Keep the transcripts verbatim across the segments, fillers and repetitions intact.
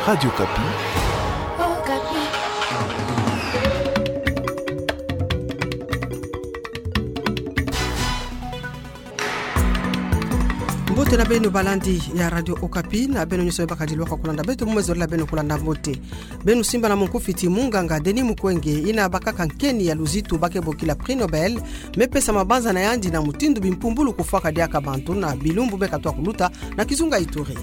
Radio Okapi. Mbote na beno balandi ya Radio Okapi, na beno nyonso me baka dilwaka kulanda beto, mu me zolila beno kulanda mbote. Beno simba na monkufi ti munganga Denis Mukwege, ina bakaka nkeni ya luzitu ba ke bokila Prix Nobel, me pesa mabanza na yandi na mutindu bimpumbulu kufwaka diaka bantu na bilumbu me katoa kuluta na kizunga Ituri.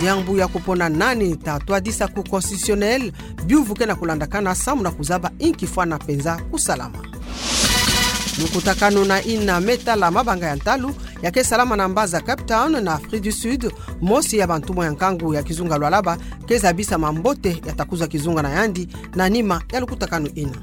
Diambu ya kupona nani ta twadisa Cour constitutionnelle, biuvu ke na kulandakana samu na kuzaba inki fwana penza kusalama. Lukutakanu na ina me tala mabanga ya ntalu, ya ke salama na mbaza Cape Town na Afrique du Sud, mosi ya bantumwa ya nkangu ya kizunga Lualaba ke zabisa mambote ya ta kuzwa kizunga na yandi na nima ya lukutakanu ina.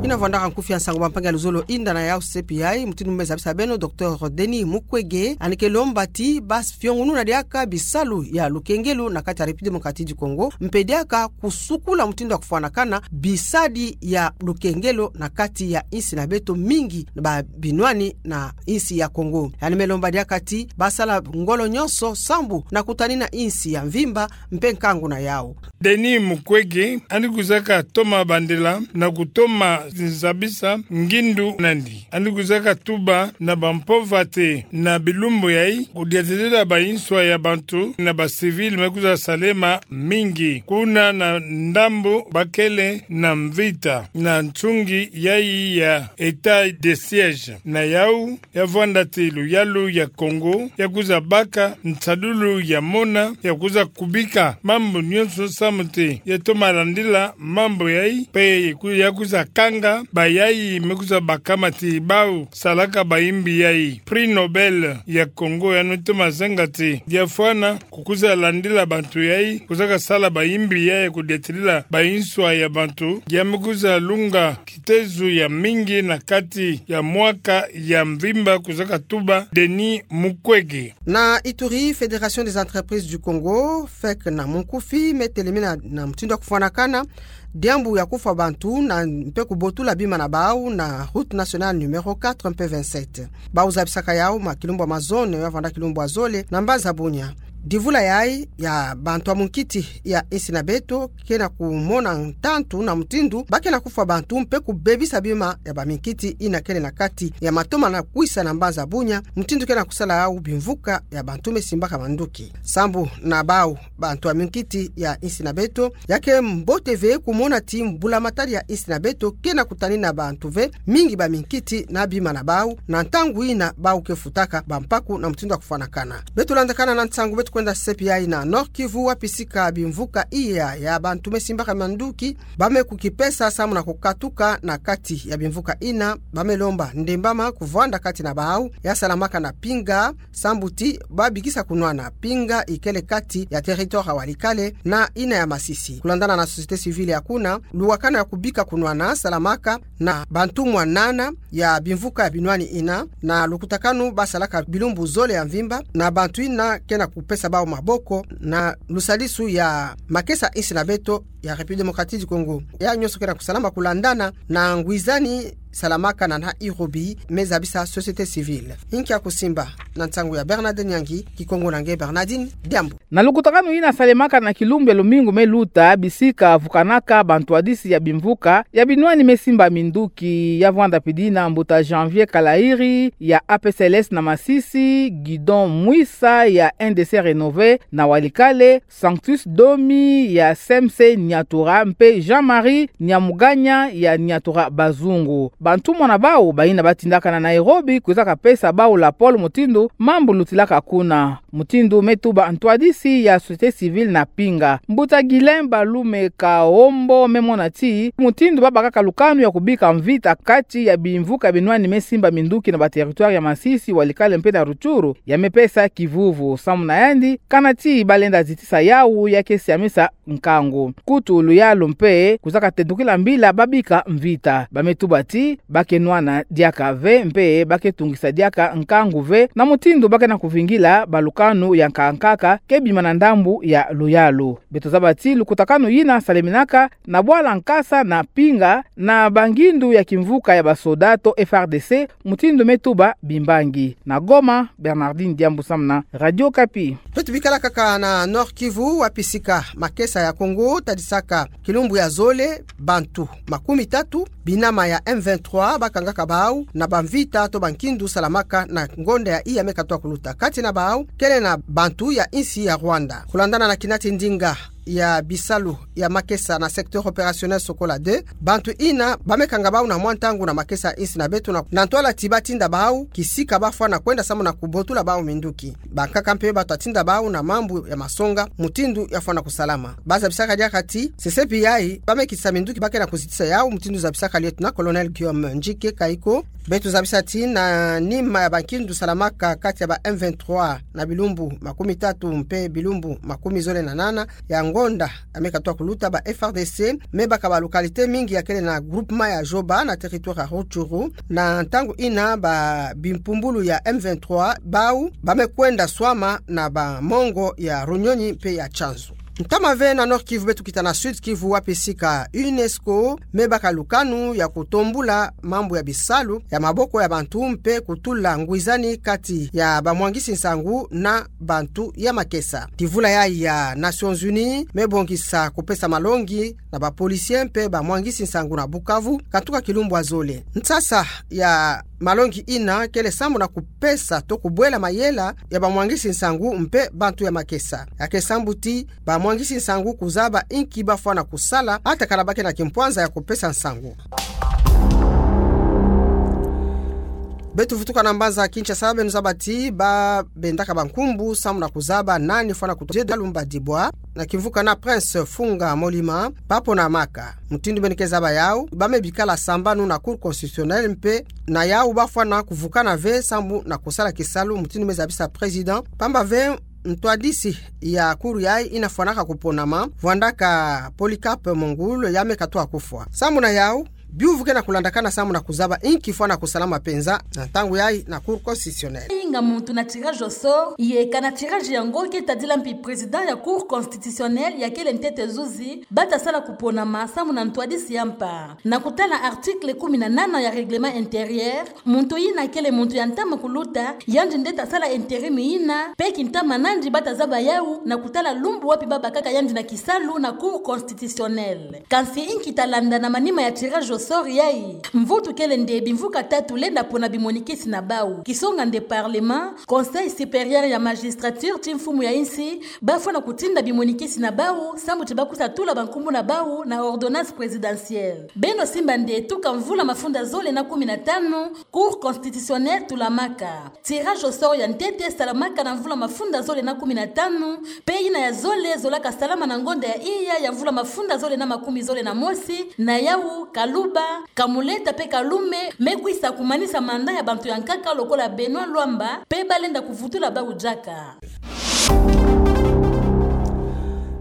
Ina vwandaka nkufi ya nsangu bampangi ya luzolo, inda na yau sepi yayi, mutindu me zabisa beno, Docteur Denis Mukwege ani ke lomba ti ba fiongununa diaka bisalu ya lukengelo na kati ya République Démocratique du Congo, mpe diaka kusukula mutindu ya kufwanakana bisadi ya lukengelo na kati ya insi na beto mingi ba binwani na insi ya Congo. Ani me lomba diaka ti ba sala ngolo nyonso sambu na kutanina insi ya mvimba mpe nkangu na yau. Denis Mukwege ani kwizaka toma bandela na kutoma zabisa ngindu nandi. Ani kwizaka tuba na bampovate na bilumbu yayi, kudiatila ba inswa ya bantu na ba civil me kwiza salema mingi. Kuna na ndambu bakele na mvita na nsungi yayi ya état de siège. Na yau ya vwanda ti luyalu ya Congo ya kwiza baka nsadulu ya mona, ya kwiza kubika mambu nyonso samu ti ya toma landila mambu yayi, mpe ya kwiza kanga bayayi me kwiza bakama ti bau salaka bayimbi yayi. Prix Nobel ya Congo ya no toma zenga ti ya fwana kukwiza landila bantu yayi, kwizaka sala bayimbi yayi kudiatilila ba inswa ya bantu, ya me kwiza lunga kitezo ya mingi na kati ya mwaka ya mvimba, kwizaka tuba Denis Mukwege. Na Ituri, Fédération des entreprises du Congo, fek na monkufi, me telemena na mutindu ya kufwanakana diambu ya kufwa bantu na mpe kubotula bima na bau na route nationale numéro quatre mpe vingt-sept. Bau zabisaka yau ma kilumbu ya mazono ya vwanda kilumbu ya zole na mbaza Bunia. Divula yayi ya bantu ya munkiti ya insi na beto ke na kumona ntantu na mutindu ba ke na kufwa bantu mpe kubebisa bima ya baminkiti ina kele na kati ya matoma na kwisa na mbaza Bunia, mutindu ke na kusala yau bimvuka ya bantu me simbaka manduki. Sambu na bau bantu ya minkiti ya insi na beto, ya ke mbote ve kumona ti mbula matadi ya insi na beto ke na kutanina bantu ve mingi baminkiti na bima na bau, na ntangu ina bau ke futaka bampaku na mutindu ya kufwanakana. Beto landakana na nsangu, beto kwenda sepi yayi na Nord-Kivu, wapi sika bimvuka iya ya bantu me simbaka manduki ba me kukipesa samu na kukatuka na kati ya bimvuka ina, ba me lomba ndembama kuvwanda kati na bau ya salamaka na Pinga, sambu ti ba bikisa kunwana. Pinga ikele kati ya territoire ya Walikale na ina ya Masisi. Kulandana na société civile ya kuna, luwakana ya kubika kunwana salamaka na bantumwa nana ya bimvuka ya binwani ina, na lukutakanu ba salaka bilumbu zole ya mvimba, na bantu ina ke na kupesa bau maboko na lusadisu ya makesa insi na beto ya République Démocratique du Congo. Ya nyonso ke na kusalama kulandana na ngwizani salamaka na Nairobi, me zabisa société civile. Inki ya kusimba, na nsangu ya Bernard Nyangi, Kikongo na nge Bernardine Diambu. Na lukutakanu ina salemaka na kilumbu ya lumingu me luta, bisika vukanaka bantwadisi ya bimvuka ya binwani me simba minduki, ya vwanda pidina mbuta Janvier Kalairi ya A P C L S na Masisi, Gidon Mwisa ya N D C Rénové na Walikale, Sanctus Domi ya C M C Niatura mpe Jean-Marie Niamuganya ya Niatura Bazungu. Bantumwa na bau baina batindaka na Nairobi kwizaka pesa bau lapolo mutindu mambu lutilaka kuna. Mutindu me tuba ntwadisi ya société civile na Pinga, mbuta Guylain Balume Kaombo, me mona ti mutindu ba bakaka lukanu ya kubika mvita kati ya bimvuka binwani me simba minduki na ba territoire ya Masisi, Walikale mpe na Rutshuru, ya me pesa kivuvu. Samu na yandi, kana ti ba lenda zitisa yau, ya ke siamisa nkangu. Kutu luyalu mpe kuzaka tendukila mbila babika mvita. Ba me tuba ti ba ke nwana diaka ve mpe ba ke tungisa diaka nkangu ve na mutindu ba ke na kuvingila balukanu ya nkaka nkaka ke bima na ndambu ya luyalu. Beto zaba ti lukutakanu yina saleminaka na bwala nkasa na pinga na bangindu ya kimvuka ya basoda to F R D C, mutindu me tuba bimbangi. Na Goma, Bernardine Diambu samu na Radio Okapi. Beto bikala kaka na Nord-Kivu, wapi sika makesa ya Congo tadisaka kilumbu ya zole, bantu makumi tatu binama ya M vingt-trois bakangaka bau na bamvita to bankindu salamaka na ngonda ya iya me katwa kuluta. Kati na bau kele na bantu ya insi ya Rwanda. Kulandana na kinati ndinga ya bisalu ya makesa na secteur opérationnel Sokola deux, bantu ina ba me kanga bau na mwa ntangu na makesa insi na beto na, na ntwala ti ba tinda bau kisika ba fwana kwenda samu na kubotula bau minduki. Bankaka mpe ba twa tinda bau na mambu ya masonga, mutindu ya fwana kusalama. Ba zabisaka diaka ti sesepi yayi ba me kisa minduki ba ke na kuzitisa yau, mutindu zabisaka lieutenant-colonel Guillaume Ndjike Kayiko. Beto zabisa ti na nima ya bankindu salamaka kati ya ba M vingt-trois na bilumbu makumi tatu mpe bilumbu makumi zole na nana ya ngonda ya me katwa kuluta, ba F R D C me baka ba localité mingi ya kele na groupement ya Joba na territoire ya Rutshuru, na ntangu ina ba bimpumbulu ya M vingt-trois bau ba me kwenda swama na ba mongo ya Runyonyi mpe ya Tchanzu. Ntama ve na Nord-Kivu, beto kita na Sud-Kivu, wapi sika UNESCO me baka lukanu ya kutombula mambu ya bisalu ya maboko ya bantu mpe kutula ngwizani kati ya bamwangisi nsangu na bantu ya makesa. Divula yayi ya Nations Unies me bongisa kupesa malongi na ba policiers mpe bamwangisi nsangu na Bukavu, katuka kilumbu ya zole. Nsasa ya malongi ina kele samu na kupesa to kubwela mayela ya bamwangisi nsangu mpe bantu ya makesa. Ya ke sambu ti bamwangisi nsangu kuzaba inki ba fwana kusala, ata kana ba ke na kimpwanza ya kupesa nsangu. Beto vutuka na mbanza Kinshasa, beno zaba ti ba bendaka bankumbu samu na kuzaba nani fwana kutodia lumba dibwa na kimvuka na Prince Funga Molima, ba ponamaka. Mutindu beno ke zaba yau, ba me bikala sambanu na Cour constitutionnelle mpe na yau ba fwana kuvukana ve samu na kusala kisalu, mutindu me zabisa président. Pamba ve ntwadisi ya cour yayi ina fwanaka kuponama, vwandaka Polycarpe Mongoul, ya me katwa kufwa. Samu na yau, biuvu ke na kulandakana samu na kuzaba inki fwana kusalama penza na ntangu yayi na Cour constitutionnelle. Inga muntu na tirage au sort, yeka na tirage yango ke tadila mpi président ya Cour constitutionnelle ya kele ntete zuzi, ba ta sala kuponama samu na ntwadisi ya mpa. Na kutala article kumi na nana ya règlement intérieur, muntu yina kele muntu ya ntama kuluta, yandi nde ta sala intérim yina, mpe kintama nandi ba ta zaba yau na kutala lumbu wapi ba bakaka yandi na kisalu na Cour constitutionnelle. Kansi inki ta landa na manima ya tirage au sort yayi? Mvutu kele nde bimvuka tatu lenda pona bimonikisi na bau. Kisonga nde Parlement, Conseil supérieur ya magistrature ti mfumu ya insi, ba fwana kutinda bimonikisi na bau, samu ti ba kusa tula bankumbu na bau na ordonnance présidentielle. Beno simba nde tuka mvula mafunda zole na kumi na tanu, Cour constitutionnelle tulamaka. Tirage au sort ya ntete salamaka na mvula mafunda zole na kumi na tanu, mpe yina ya zole zolaka salama na ngonda ya iya ya mvula mafunda zole na makumi zole na mosi, na yau Kaluba, Kamuleta mpe Kalume me kwisa kumanisa mandat ya bantu ya nkaka lokola Benoît Luamba, mpe ba lenda kuvutula bau diaka.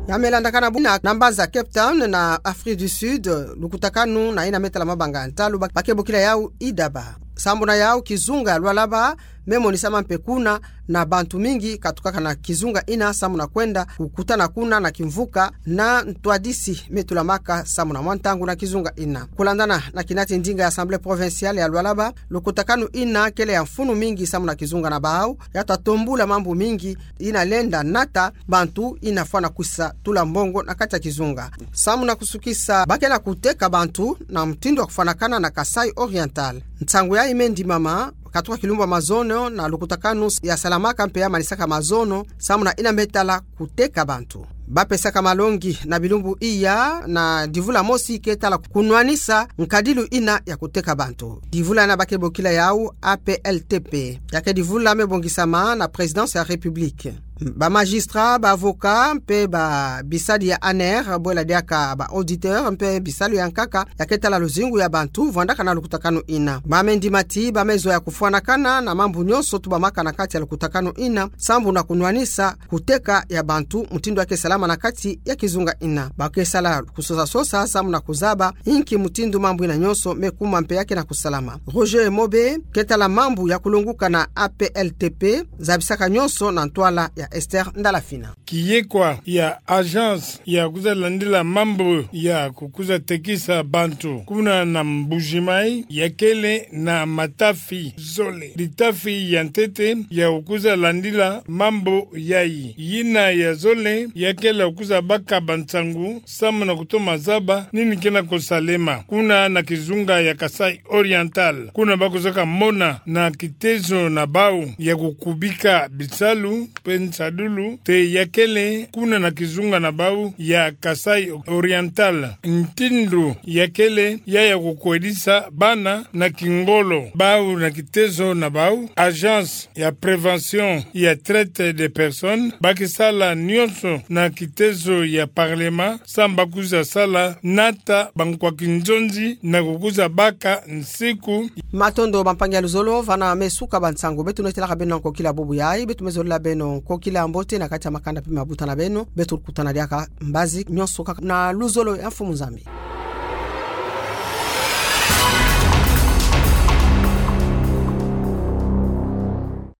Ya me landakana buna na mbanza Cape Town na Afrique du Sud, lukutakanu na yina me tala mabanga ya ntalu ba, ba ke bokila yau Idaba. Sambu na yau kizunga ya Lualaba me monisama mpe kuna, na bantu mingi katukaka na kizunga yina samu na kwenda kukutana kuna na kimvuka na ntwadisi me tulamaka samu na mwa ntangu na kizunga yina. Kulandana na kinati ndinga ya Assemblée provinciale ya Lualaba, lukutakanu yina kele ya mfunu mingi samu na kizunga na bau, ya ta tombula mambu mingi yina lenda nata bantu yina fwana kwisa tula mbongo na kati ya kizunga. Samu na kusukisa, ba ke na kuteka bantu na mutindu wa kufwanakana na Kasaï Oriental. Nsangu yayi me ndimama katuka kilumbu ya mazono na lukutakanu ya salamaka mpe ya manisaka mazono samu na yina me tala kuteka bantu. Ba pesaka malongi na bilumbu iya na divula mosi ke tala kunwanisa nkadilu yina ya kuteka bantu. Divula yina ba ke bokila yau A P L T P. Ya ke divula me bongisama na Présidence ya République. Ba magistrat, ba avocat, mpe ba bisadi ya aner, bwela diaka ba auditeur, mpe bisalu ya nkaka, ya ketala luzingu ya bantu, vwandaka na lukutakanu ina. Ba mendimati, ba mezo ya kufwanakana, na mambu nyonso tubamaka na kati ya lukutakanu ina, sambu na kunwanisa, kuteka ya bantu, mutindu ya ke salama na kati ya kizunga ina. Ba ke sala kusosa-sosa, sambu na kuzaba, inki mutindu mambu ina nyonso, me kuma mpe ya ke na kusalama. Roger Mobe, ketala mambu ya kulonguka na A P L T P, zabisaka nyonso na ntwala ya Esther Ndalafina. Kiyekwa ya agence ya kuza landila mambu ya kukuza tekisa bantu kuna na Mbuji-Mayi, ya kele na matafi zole. Litafi ya ntete ya kukuza landila mambu yayi. Yina ya zole, ya kele kukuza baka bansangu, sambu na kutoma zaba, nini ke na kusalema. Kuna na kizunga ya Kasaï Oriental. Kuna ba kuzaka mona na kitezo na bau ya kukubika bisalu, mpe nsadulu, te ya kele, kuna na kizunga na bau ya Kasaï Oriental. Ntindu ya kele, ya ya kukwedisa bana na kingolo. Bau na kitezo na bau, agence ya prévention ya traite des personnes, ba ke sala nyonso na kitezo ya parlement, sambu ba kuza sala nata bankwa kinzonzi na kukuza baka nsiku. Matondo bampangi ya luzolo, vana me suka bansangu beto nwetelaka beno na nkokila bubu yayi, beto me zolila beno nkokila mbote na kati ya makanda mpe mabuta na beno, beto kutana diaka mbazi nyonso kaka na luzolo ya Mfumu Nzambi.